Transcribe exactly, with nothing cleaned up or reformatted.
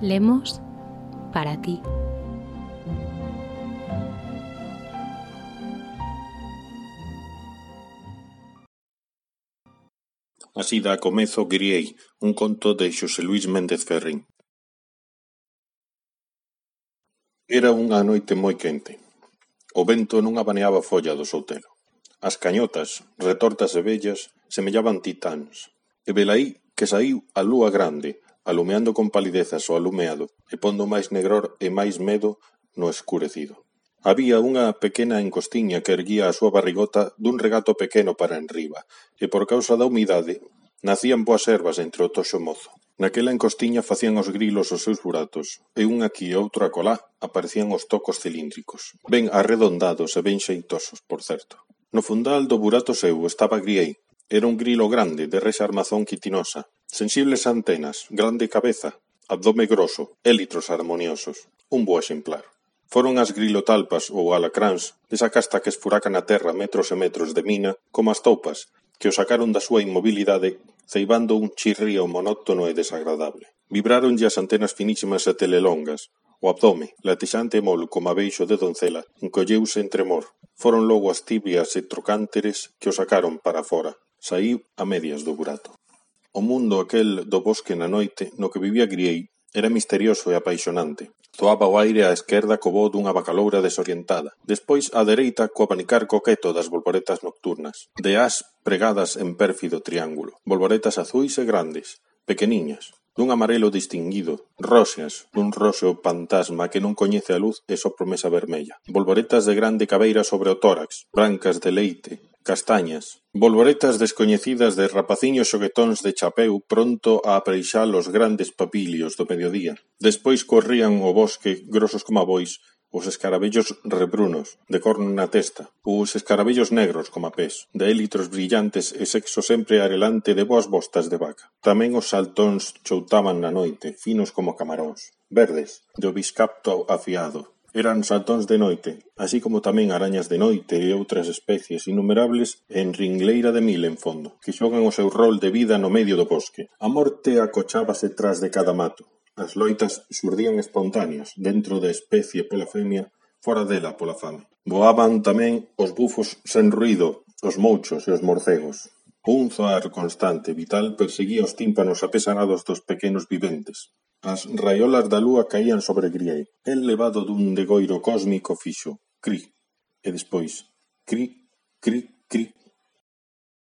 Lemos para ti. Así dá comezo Griei, un conto de Xosé Luís Méndez Ferrín. Era unha noite moi quente. O vento non abaneaba a folla do soutelo. As cañotas, retortas e vellas, semellaban titáns. E velaí que saíu a lúa grande, alumeando con palidezas o alumeado e pondo máis negror e máis medo no escurecido. Había unha pequena encostiña que erguía a súa barrigota dun regato pequeno para enriba, e por causa da humidade nacían boas ervas entre o toxo mozo. Naquela encostiña facían os grilos os seus buratos, e un aquí e outro acolá aparecían os tocos cilíndricos, ben arredondados e ben xeitosos, por certo. No fundal do burato seu estaba Griei. Era un grilo grande, de rexa armazón quitinosa, sensibles antenas, grande cabeza, abdome groso, élitros harmoniosos. Un bo exemplar. Foron as grilotalpas ou alacráns desa casta que esfuraca na terra metros e metros de mina como as toupas, que o sacaron da súa inmobilidade ceibando un chirrío monótono e desagradable. Vibráronlle as antenas finísimas e telelongas. O abdome, latexante e mol como a beixo de doncela, encolleuse en tremor. Foron logo as tibias e trocánteres que o sacaron para fora. Saíu a medias do burato. O mundo aquel do bosque na noite no que vivía Griei era misterioso e apaixonante. Zoaba o aire á esquerda co voo dunha bacaloura desorientada. Despois á dereita co abanicar coqueto das bolboretas nocturnas, de ás pregadas en pérfido triángulo. Bolboretas azuis e grandes, pequeniñas, dun amarelo distinguido, roxas, dun roxo fantasma que non coñece a luz e só promesa vermella. Bolboretas de grande cabeira sobre o tórax, brancas de leite, castañas, bolboretas descoñecidas de rapaciños xoguetóns de chapeu pronto a apreixar os grandes papilios do mediodía. Despois corrían o bosque, grosos como bois, os escarabellos rebrunos, de corno na testa, ou os escarabellos negros como pés, de élitros brillantes e sexo sempre arelante de boas bostas de vaca. Tamén os saltóns choutaban na noite, finos como camaróns, verdes, de obiscapto afiado. Eran saltóns de noite, así como tamén arañas de noite e outras especies innumerables en ringleira de mil en fondo, que xogan o seu rol de vida no medio do bosque. A morte acochábase tras de cada mato. As loitas xurdían espontáneas, dentro da especie pola femia, fora dela pola fame. Voaban tamén os bufos sen ruído, os mouchos e os morcegos. Un zoar constante, vital, perseguía os tímpanos apesarados dos pequenos viventes. As raiolas da lúa caían sobre Griei. El levado dun degoiro cósmico fixo, cri, e despois, cri, cri, cri,